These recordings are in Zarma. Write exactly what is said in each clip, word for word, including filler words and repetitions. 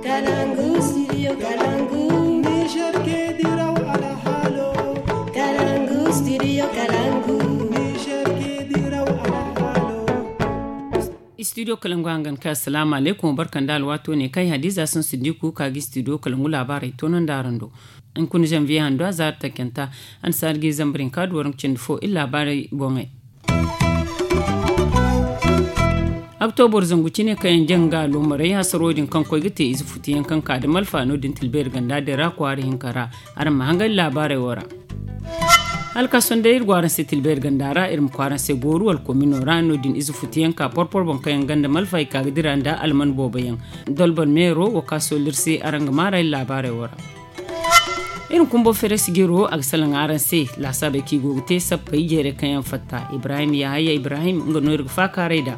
Kalangu, studio Kalangu. Niger ke diraw alhalo. Kalangu, studio Kalangu. Niger ke diraw alhalo. Studio Kalangu hangan ka assalamu alaikum, barkan da alwato ne kai Hadiza sun Siddiku ka gi studio Kalangu labarai tonon da arando. In kun janvier hando a zaari takenta, an saari gi zambarin ka duwarin cindi fo illa labarai boŋai. Aktobor zangu cine kaŋ yaŋ jaŋ ga alomaray hasaro din kaŋ koy ga te ize futu yaŋ kaŋ ka da malfa no din tilbeeri ganda din ra kwaara hinka ra. Araŋ ma hangay labaarey wo ra. Hala ka sohõ day iri go araŋ se tilbeeri ganda ra iri ma koy araŋ se gooru wala komino ra no din ize futu yaŋ ka porpor boŋ kaŋ yaŋ ganda malfa i ka ga dira nda alman boobo yaŋ. Dolbor meero wo ka sohõ iri se araŋ ga maarey labaarey wo ra. Iri ma kumbo feres jiro a ga salaŋ araŋ se laasaabey kaŋ i go ga te sappey jeerey kaŋ yaŋ fatta ibrahim yahaya ibrahim nga no iri ga faakaaray nd'a.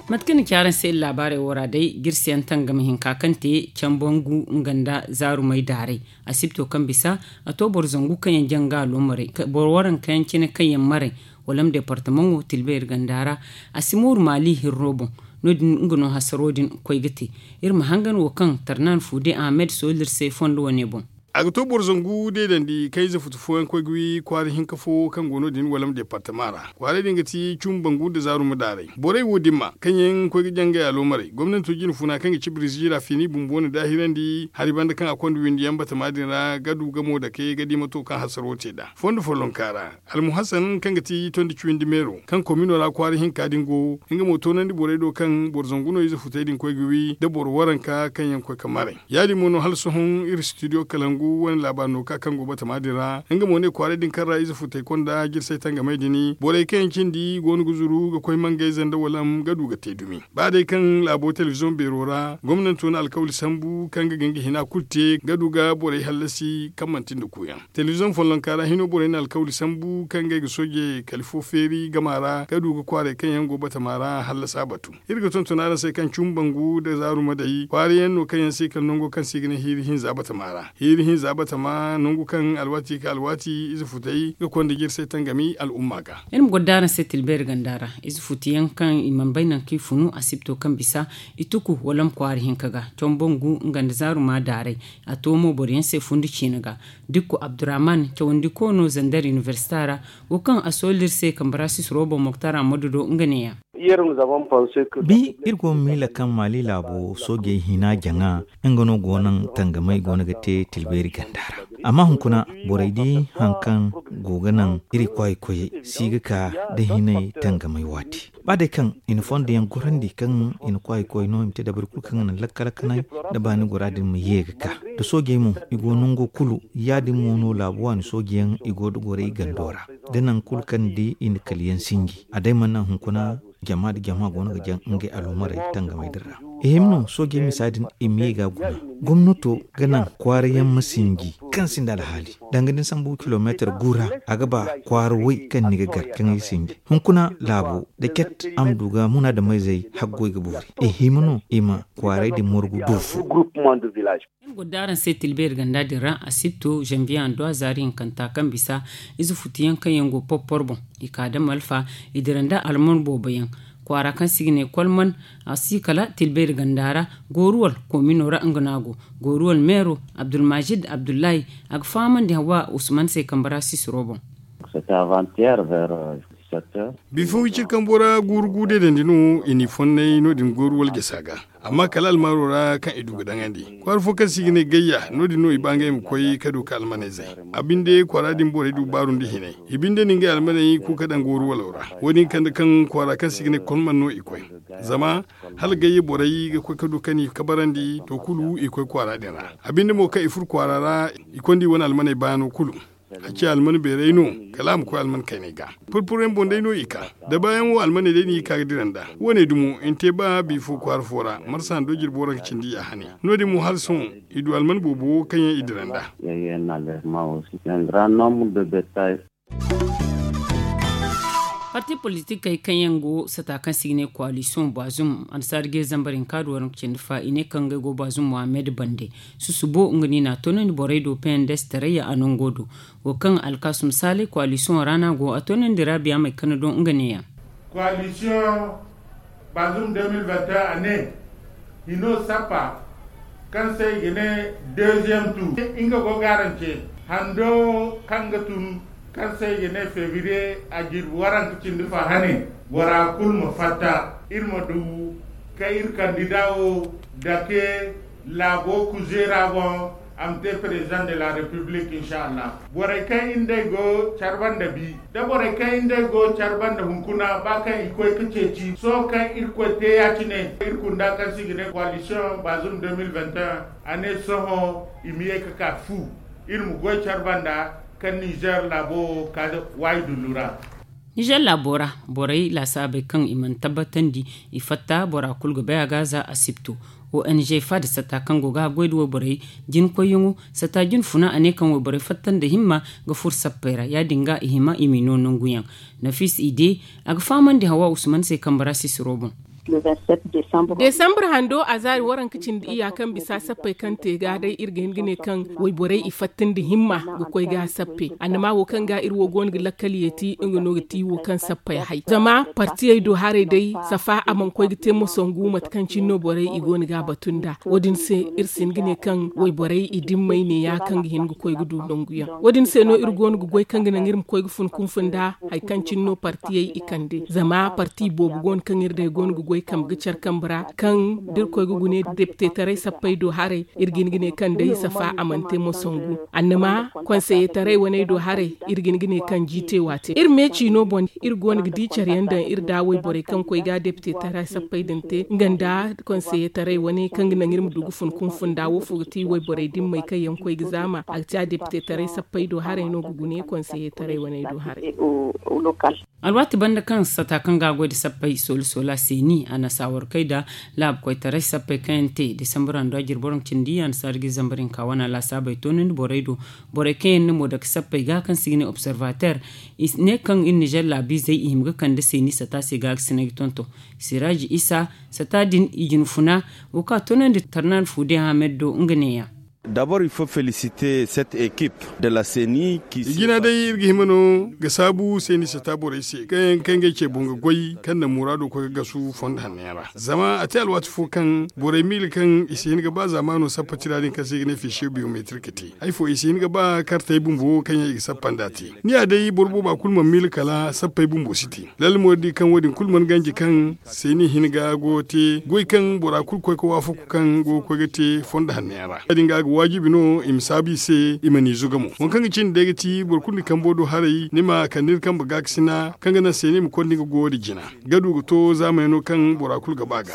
Mate kaŋ ni ci araŋ se iri laabaarey wo ra day jirsi yaŋ tangam hinka kaŋ te cambangu nga nda zaarumey daaray. Asibto kaŋ bisa a to boro zangu kaŋ yaŋ jaŋ ga alomaray boro waranka yaŋ cine kaŋ yaŋ maray. Wala ma departamaŋo tilba iri ganda ra. A si mooru maali hirro boŋ. No- din nga no hasaro din koy ga te. Iri ma hangan wo kaŋ tarnan fuude ahmed sooli iri se fondo wane boŋ. A ga to boro zangu deedandi kaŋ ize futu fooyaŋ koy ga wi kwaara hinka fo kaŋ go no- din wala ma departama ra. Kwaaray din ga ti cumbangu nda zaaruma daaray borey wo dimma kaŋ yaŋ koy ga jangay alomaray gomnanto jine funa kaŋ ga ci biriziira fiini bumbo na daahirandi hari banda kaŋ a konda windi yaŋ batama din ra ga du gamo dake ga di mato kaŋ hasaro te nd'a fondo follonka ra. Almuhasan kaŋ ga ti tondi cawindi meero kaŋ komino ra kwaara hinka din go nga mo toonandi borey do kaŋ boro zangu no ize futey din koy ga wi nda boro waranka kaŋ yaŋ koy ga maray. Ya- din mo no hala sohõ iri studio kalangu wane laabaari no ka kaŋ go batama din ra nga mo ne kwaaray din kaŋ ra ize futey konda jirsay tangamey din borey kaŋ yaŋ cindi go no ga zuru ga koy mangayze nda walam ga du ga te dumi. Ba day kaŋ laabo telebiziyoŋ beero ra gomnanto na alkawli sambu kaŋ ga ga nga hina kulu te ga du ga borey hallasi kaŋ manti nda kuuyaŋ. Telebiziyoŋ follonka ra hino borey na alkawli sambu kaŋ ga ay ga sooje kala fo feeri gama ra ga du ga kwaaray kaŋ yaŋ go batama ra hallasa batu. Iri ga tonton araŋ se kaŋ cumbangu nda zaaruma day kwaara yaŋ no kaŋ yaŋ se kala nango kaŋ se i ga ne hiiri hinza batama ra. Hiiri hinza batama nangu kaŋ alwaati ga alwaati ize futey ga konda jirsay tangami al'umma ga. Iri ma goro da araŋ se tilbeeri ganda ra ize futu yaŋ kaŋ i mana bay nangu kaŋ i funu asibto kaŋ bisa i tuku wala ma kwaara hinka ga. Combo ngu nga nda zaaruma daaray. A to mo boro yaŋ se fundi ciine ga. Dikko abdurrahman cawandi koono zandar inibersita ra. Wo kaŋ a sooli iri se kambe ra sisiro boŋ moktar ammadu do nga ne- ya. Bi iri go ga miila kaŋ maali laabo soojey hina jaŋa nga no go naŋ tangamey go no ga te tilbeeri ganda ra. Amma hunkuna borey di hari kaŋ go ga naŋ iri kwaay koyey si ga ka nda hinay tangamey waati. Ba day kaŋ i na fondo yaŋ gorandi kaŋ i na kwaay koy no i ma te dabari kulu kaŋ ga naŋ lakkal kanay nda baani gora din ma ye ga ka. Nda soojey mo i go nango kulu ya- din mo no laabu waani sooje yaŋ i go nda gorey gando ra. Da nangu kulu kaŋ ni di i na kala yaŋ sinji a day mana naŋ hunkuna jama nda jama go no ga jaŋ ngey alhumarey tangamey din ra. I hima no soojey misa din i ma ye ga guna. Gomnato ga naŋ kwaara yaŋ ma sinji kaŋ sinda alhaali. Danga da ni sambu kilomeetar gu ra a ga ba kwaara way kaŋ ni ga gar kaŋ ay sinji hunkuna laabo da ket a ma du ga munaadamayzey haggoy ga boori i hima no i ma kwaaray din morgu du fo. Iri go ga daaraŋ se tilbeeri ganda din ra asibto zanviye hando a zaari hinkanta kaŋ bisa ize futu yaŋ kaŋ yaŋ go porpor boŋ. I ka da malfa i dira nda alman boobo yaŋ kwaara kaŋ se i ga ne kolman. A si kala tilbeeri ganda ra. Gooruwal koomino ra nga no a go. Gooruwal meero abdulmajid abdullahi a ga fahamandi hawa usman se kambe ra sisiro boŋ. Bifo wiciri kambo ra guuru gu deedandi no i n'i fonnay no- din gooruwal jasa ga. Amma kala almaaro ra kaŋ i du ga daŋandi kwaara fo kaŋ se i ga ne gayya no- din no i ba ngey ma koy ka du ka almaney zay. A binde kwaara din borey du baaru nda hinay. I binde na ngey almaney ku ka daŋ gooruwalo ra. Wo- din kande kaŋ kwaara kaŋ se i ga ne kolman no i koy. Zama hala gayye borey ga koy ka du ka ni kabarandi to kulu i koy kwaara din ra. A binde mo kaŋ i furo kwaara ra i konda i wane almaney baano kulu. A ci alman beeray no kala a ma koy alman kaynay ga. Purpuryaŋ boŋ day no i ka da baayaŋ wo almaney day no i ka ga dira nd'a. Wo- ne dumo i na te ba bifo kwaara fo ra marsa hando jirbi waranka cindi ya hane. No- din mo hala sohõ i du alman boobo wo kaŋ yaŋ i dira nd'a. Parti politikey kaŋ yaŋ go sata kaŋ se i ga ne koalisiyoŋ baazum annasaara ga iri zambar hinka du waranka cindi fa i ne kaŋ ngey go baazum mohammed bande. Susubo nga no i n'a toonandi borey do pnds tarayya a nango do. Wo kaŋ alkaasum saalay koalisiyoŋo ra no a go a toonandi raabiya may kana do nga ne- ya. Koalisiyoŋ Bazum deux mille vingt et un a ne hino sappa kaŋ se i ga ne deuxième tour nga go garance hando kaŋ ga tun kaŋ se i ga ne février a jirbi waranka cindi fa hane bora kulu ma fatta iri ma du ka iri kandida wo dake laabo kuzeera boŋ a ma te président de la république inshallah. Borey kaŋ iri nd'ey go care banda bi da borey kaŋ iri nd'ey go care banda hunkuna ba kaŋ i koy ga ceeci sohõ kaŋ irkoy te ya-cine iri kunda kaŋ se i ga ne coalition bazum deux mille vingt et un a ne sohõ i ma ye ga ka fu iri ma goy care banda kaŋ nizer laabo wo ka waayi dullu ra. Nizer laabo ra borey laasaabey kaŋ i mana tabbatandi i fatta bora kulu ga bay a ga za asibto. O n g faada sata kaŋ go ga haggoy da wayborey jinkoyyaŋo sata jinfuna a ne kaŋ wayborey fatta nda himma ga furo sappey ra ya- din ga i hima i m'i no nanguyaŋ. Nafis ide a ga fahamandi hawa usman se kambe ra sisiro boŋ. Desambre hando a zaari waranka cindi iyya kaŋ bisa sappey kaŋ te ga day iri ga hin ga ne kaŋ wayborey i fatta nda himma ga koy ga sappe annama wo kaŋ ga iri wo go no ga lakkal yeeti nga no ga ti wo kaŋ sappey hay zama partiyey do haray day safa a mana koy ga te moso ngu mate kaŋ cine no borey i go no ga a batu nda wo- din se iri si hin ga ne kaŋ wayborey i dimmey ne ya kaŋ ga hin ga koy ga du nanguyaŋ wo- din se no iri go no ga goy kaŋ ga naŋ iri ma koy ga fun kunfun nda hari kaŋ cine no partiyey i kande zama parti boobo go no kaŋ iri day go no ga goy kambe ga care kambe ra kaŋ da iri koy ga gune depitetaray sappey do haray iri ga hin ga ne kaŋ day safa a mana te moso ngu annama konseyetaray waney do haray iri ga hin ga ne kaŋ jiite waate iri meeci no boŋ iri go no ga di care yaŋ daŋ iri da wayborey kaŋ koy ga depitetaray sappey din te nga nda konseyetaray waney kaŋ ga naŋ iri ma du ga fun kunfun nda wo fo ga ti wayborey dimmey kaŋ yaŋ koy ga zaama a ga ti a depitetaray sappey do haray no ga gune konseyetaray waney do haray. Alwaati banda kaŋ sata kaŋ ga a goy nda sappey soola soola seeni a na saawarkey nda laabu koytaray sappey kaŋ yaŋ te desambur hando a jirbi waranka cindi a na saari ga zambar hinka wana laasaabey toonandi borey do. Borey kaŋ yaŋ na mo dake sappey ga kaŋ se i ga ne observateur i ne kaŋ iri nizer laabiizey i hima ga kande seeni sata se ga ga sinay ga tonton. Siraaji isa sata din i jinfuna wo kaŋ a toonandi tarnaani fu day hamed do nga neeya. Dabor il faut féliciter cette équipe de la ceni. I jina day iri ga hima no ga saabu seeni sata borey se kaŋ yaŋ kay ngey ce boŋ ga goy kaŋ na muraado koy ga gasu fondo hanno yaŋ ra zama a te alwaati fo kaŋ borey miila kaŋ i si hin ga ba zaamaano sappa tira din kaŋ se i ga ne fiisiyo biyometrik te hari fo i si hin ga ba kartey bumbo kaŋ yaŋ i ga sappa nd'a te. Ni ya day boro booba kulu mana miila kala sappey bumbo si te lalle mo iri di kaŋ wo- din kulu mana ganji kaŋ seeni hin ga go ga te goy kaŋ bora kulu koy ga waafaku kaŋ go ga koy ga te fondo hanno yaŋ ra ya- din ga a ga waajibi no i ma saabu i se i ma ni zuga mo waŋ kaŋ ga cindi day ga ti boro kulu ni kambo do haray ni ma kande ni kambe gaakasina kaŋ ga naŋ seeni ma konda nga go wo- din jina ga du ga to zaamey no kaŋ bora kulu ga ba ga.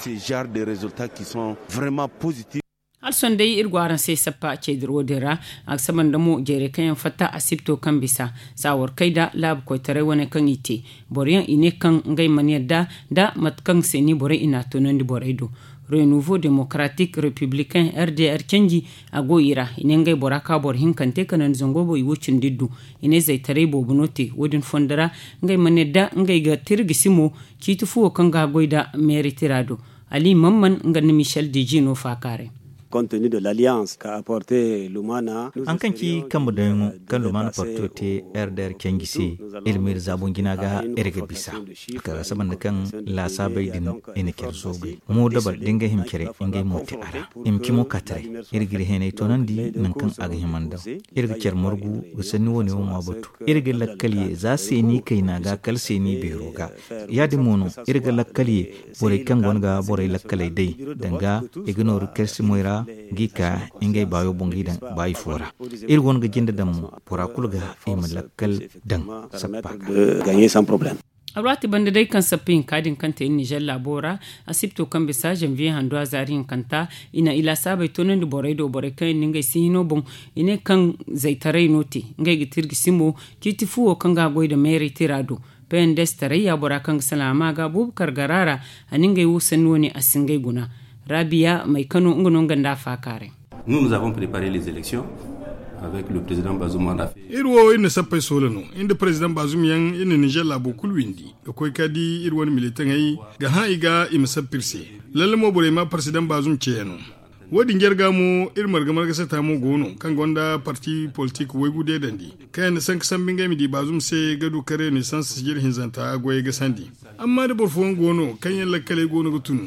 Hala sohõ day iri go araŋ se sappa ceediro din ra. A ga saba nda mo jeerey kaŋ yaŋ fatta asibto kaŋ bisa saawarkey nda laabu koytaray wane kaŋ i te boro yaŋ i ne kaŋ ngey mana yadda nda mate kaŋ se ni borey i n'a toonandi borey do. Renouveau démocratique républicain r d r canji a go i ra i ne ngey bora ka boro hinkante kanandi zango boŋ i wo cindi du. I ne zaytaray boobo no te wo- din fondo ra ngey mana yadda ngey ga tirgisi mo ciiti fuwo kaŋ ga goy nda meeri tira do. Ali mamman nga nda michel deji no faakaaray. Compte tenu de l'alliance ka apporte lumana. Haŋ kaŋ ci kambe daŋyaŋo kaŋ lumana parto te r d r canji se iri ma iri zaabo jina ga iri ga bisa. Kala saba nda kaŋ laasaabey din i na care zoobay mo dabal da ngey hima care ngey mo te a ra. I ma ci mo ka taray iri ga iri heenay toonandi nangu kaŋ a ga hima nda iri ga care margu ga sanni wane wo ŋwa batu. Iri ga lakkal ye za seeni kayna ga kala seeni beero ga. Ya- din mo no iri ga lakkal ye borey kaŋ go no ga borey lakkaley day danga i ga nooru kalsimey ra g'i ka ngey baayo boŋ g'i daŋ baayi fo ra. Iri go no ga jinde daŋ mo bora kulu ga i ma lakkal daŋ sappa ga. Alwaati banda day kaŋ sappa hinka din kaŋ te iri nizer laabo ra asibto kaŋ bisa zanviye hando a zaari hinkanta i na i laasaabey toonandi borey do borey kaŋ yaŋ no ngey si hino boŋ. I ne kaŋ zaytaray no te ngey ga tirgisi mo ciiti fuwo kaŋ ga a goy nda meeray tira do. P n d s taray ya bora kaŋ ga salaŋ a ma ga buubu kargara ra. A na ngey wo sanni wane a si ngey guna. Raabiya maykano nga no nga nda a faakaaray. Iri wo iri na sappey soola no iri nda parezidaŋ baazum yaŋ iri na nizer laabo kulu windi ga koy ka di iri wane militaŋey ga hã i ga i ma sappa iri se. Lalle mo borey ma parezidaŋ baazum ceeya no. Wo- din jarga mo iri marga marga sata mo go no kaŋ gonda parti politik waygu deedandi kaŋ yaŋ na sanka sambu ngey ma di baazum se ga du ka renaissance sijir hinzanta goyey ga sandi. Amma da boro fooyaŋ go no kaŋ yaŋ lakkaley go no ga tun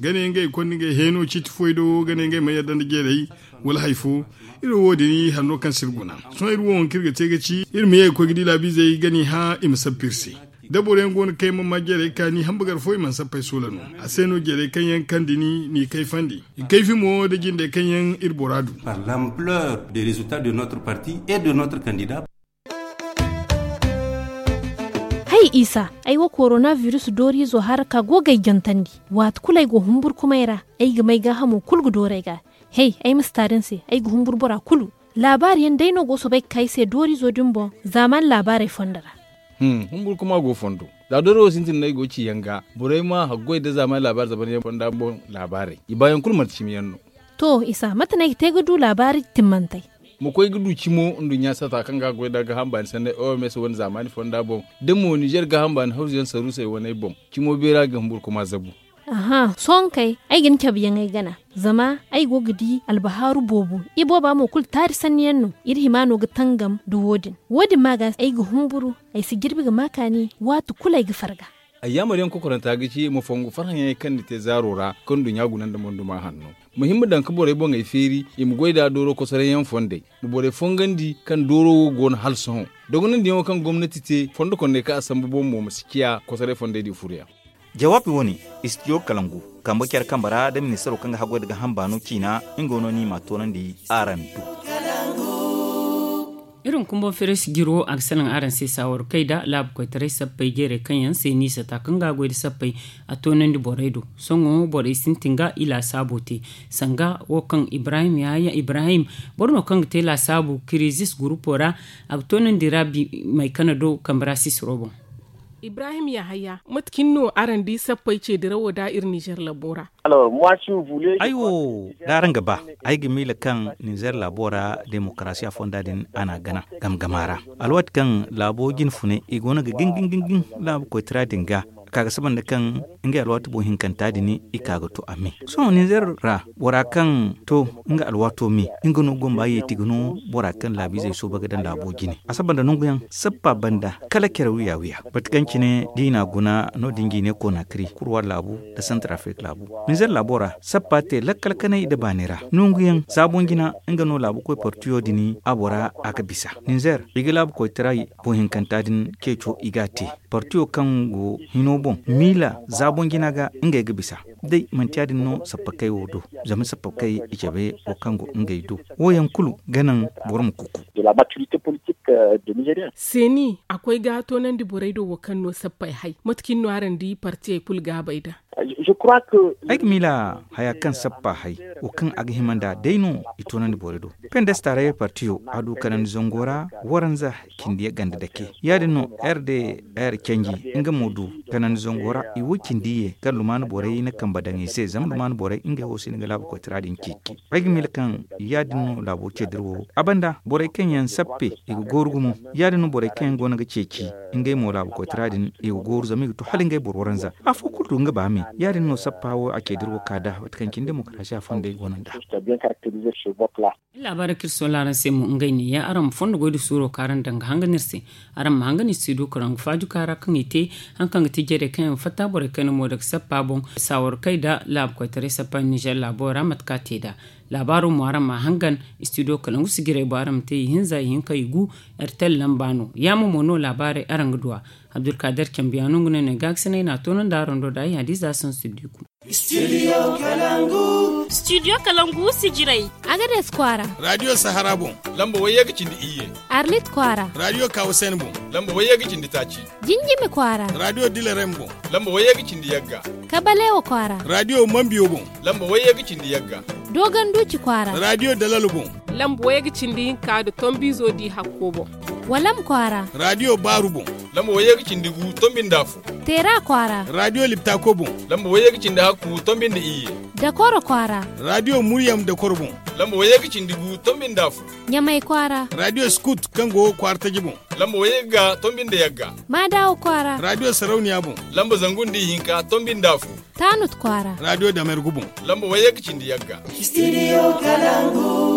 ga ne ngey konda ngey heeno ciiti foy do ga ne ngey ma yadda nda jeerey wala hari fo. Iri wo wo- din hari no kaŋ si iri guna. Sohõ iri wo waŋ kaŋ iri ga te ga ci iri ma ye ga koy ga di laabiizey ga ni hã i ma sappa iri se. Da boroyaŋ go no kaŋ yaŋ mana ma jeerey kaani hambagar fo i mana sappa ay soola no. A se no jeerey kaŋ yaŋ kande ni n'i kayfandi i kayfi mo nda jindey kaŋ yaŋ iri bora du. Par l'ampleur des résultats de notre parti et de notre candidat. Hay isa, ay wo koronabirus dooriizo hara ka go ga ay jantandi. Waati kulu ay go humburkumay ra, ay ga may gaahamo kulu ga dooru ay ga. Hey, ay ma si taari ni se, ay ga humburu bora kulu. Laabaari yaŋ day no go soobay ga ka ay se dooriizo din boŋ. Zaamaani laabaarey fondo ra. Humburkuma go fondo. Za dooriizo sintin no ay go ga ci yaŋ ga, borey ma haggoy nda zaamaani laabaari zaban yaŋ fonda boŋ. Laabaarey i baayaŋ kulu manti cimi yaŋ no. To isa, mate no ay ga te ga du laabaari timmantey? Ma koy ga du cimo nduɲɲa sata kaŋ ga a goy nda gaaham baani sanney oms wane zaamaani fonda boŋ, da mo nizer gaaham baani hawzu yaŋ saruusey waney boŋ, cimo beera ga humburkuma zabu. Aha, sohõ kay, ay ga ni cabe yaŋ ay gana. Zama ay go ga di albahaaru boobo. Ibooba mo kulu taari sanni yaŋ no. Iri hima no ga tangam nda wo- din. Wo- din ma ga ay ga humburu, ay si jirbi ga ma kaani. Waati kulu ay ga farga. Ay yaamar yaŋ kokoranta ga ci ma fongu farhã yaŋey kaŋ ni te zaaro ra kaŋ nduɲɲa guna nda monduma hanno. Ma hima daŋ ga borey boŋey feeri i ma goy nd'a dooro kosoray yaŋ fondey. Ma borey fongandi kaŋ dooro wo go no hala sohõ. Dogonandiyaŋo kaŋ gomnati te fondo kondey kaŋ a sambu boŋ mo ma si ciya kosoray fondey di furu yaŋ. Jawaabi wo- ne, istidiyo kalangu kambe care kambe ra nda ministaro kaŋ ga haggoy nda gaaham baano ciina. Nga no no ni m'a toonandi araŋ do. Iri hunkuna boŋ feeray sijir wo a ga salaŋ araŋ se saawar kay nda laabu koytaray sappey jeerey kaŋ yaŋ se ni sata kaŋ ga a goy nda sappey. A toonandi borey do. Sohõ borey sintin ga i laasaabo te. Sanga wo kaŋ ibrahim yahaya ibrahim, boro no kaŋ ga te laasaabu kirizis gurupo ra. A ga toonandi ra bi maykana do kambe ra sisiro boŋ. Ibrahim yahaya, mate cine no araŋ di sappey ce dirawo nda iri nizer labo ra? Ay wo, da araŋ ga ba, ay ga miila kaŋ nizer laabo ra demokarasiya fonda din a n'a gana gama gama ra. Alwaati kaŋ laabo jine funay i go no ga gin gin gin gin laabu koytara din ga, ka ga saba nda kaŋ ngey alwaati boŋ hinkanta din i ka ga to a me. Sohõ nizer ra bora kaŋ to nga alwaato me, nga no gomba yeeti ga no bora kaŋ laabiizey sooba ga daŋ laabo jine a saba nda nangu yaŋ sappa banda kala care wiya wiya. Mate kaŋ cine da i n'a guna no- din ga i ne konaakiri kurwa laabu nda santar afirika laabu. Nizer laabo ra sappa te lakkal kanay nda baani ra nangu yaŋ zaabon jina. Nga no laabu koy partiyo din a bora a ga bisa nizer i ga laabu koytaray boŋ hinkanta din ceeco i ga a te. Partiyo kaŋ go hino boŋ miila zaabon jina ga ngey ga bisa. Day manti ya- din no sappa kay wo do. Zama sappa kay i cabe wo kaŋ go ngey do wo yaŋ kulu ga naŋ boro ma kuku. Seeni a koy ga toonandi borey do wo kaŋ no sappey hay mate cine no araŋ di partiyey kulu gaabey da? Ay ga miila haya kaŋ sappa hay wo kaŋ a ga hima nd'a day no i toonandi borey do. Pendestaray partiyo a du kanandi zango ra waranza cindi ganda dake ya- din no r d r canji nga mo du kanandi zango ra i wo cindi ye kaŋ lumaana borey na kambe daŋ i se zama lumaana borey ngey wo si ni ga laabu koytara din ceeci. Ay ga miila kaŋ ya- din no laabo ce dira wo a banda borey kaŋ yaŋ sappe i ga gooru gumo. Ya- din no borey kaŋ yaŋ go no ga ceeci ngey mo laabu koytara din i ga gooru zama i ga to hala ngey boro waranza afo kulu du nga ba me. Ya- din no sappa wo a ce dira wo ka da mate kaŋ cine demokarasiya fondey go no nd'a. Laabaarey kaŋ iri sohõ laaraŋ se mo ngey ne ya araŋ ma fondo goy da suuro kaŋ araŋ daŋ ga hangan iri se. Araŋ ma hangan iri si du karangu faaju kaara kaŋ i te haŋ kaŋ ga ti jarey kaŋ yaŋ ga fatta borey kaŋ yaŋ mo daga sappa boŋ saawar kay nda laabu koytaray sappa nizer laabo ra mate kaŋ a te nd'a. Laabaaro mo araŋ ma a hangan istidiyo kalangu sijirey boŋ araŋ ma te ihinza ihinka igu. Ertel lamba no yaamo mo no laabaarey araŋ ga du a. Abdulkader cambiyaano nga no ay ne gaakasinay no a toonandi araŋ do da ay hadiza sansidiku. Studio kalangu sijirey. Agades kwaara. Radio sahara boŋ lamba wayye ga cindi iyye. Arlit kwaara. Radio kawasen boŋ lamba wayye ga cindi taaci. Jinjimi kwaara. Radio dilarem boŋ lamba wayye ga cindi yagga. Kabalewa kwaara. Radio mambiyo boŋ lamba wayye ga cindi yagga. Dogonduci kwaara. Radio dalalo boŋ lamba wayye ga cindi hinka nda tombiizo di hakko boŋ. Walam kwaara. Radio baaru boŋ lamba wayye ga cindi gu tombi nda afo. Teera kwaara. Radio liptako boŋ lamba wayye ga cindi hakku tombi nda iyye. Dakoro kwaara. Radio muryam dakoro boŋ Lamba wayye ga cindi gu tombi nda fu. Ɲamay kwaara. Radio scout kaŋ go kwaara taji boŋ. Lamba wayye ga tombi nda yagga. Maadawo kwaara. Radio sarauniya boŋ. Lamba zangu nda ihinka tombi nda fu. Taanut kwaara. Radio damer gu boŋ. Lamba wayye ga cindi yagga. Studio kalangu.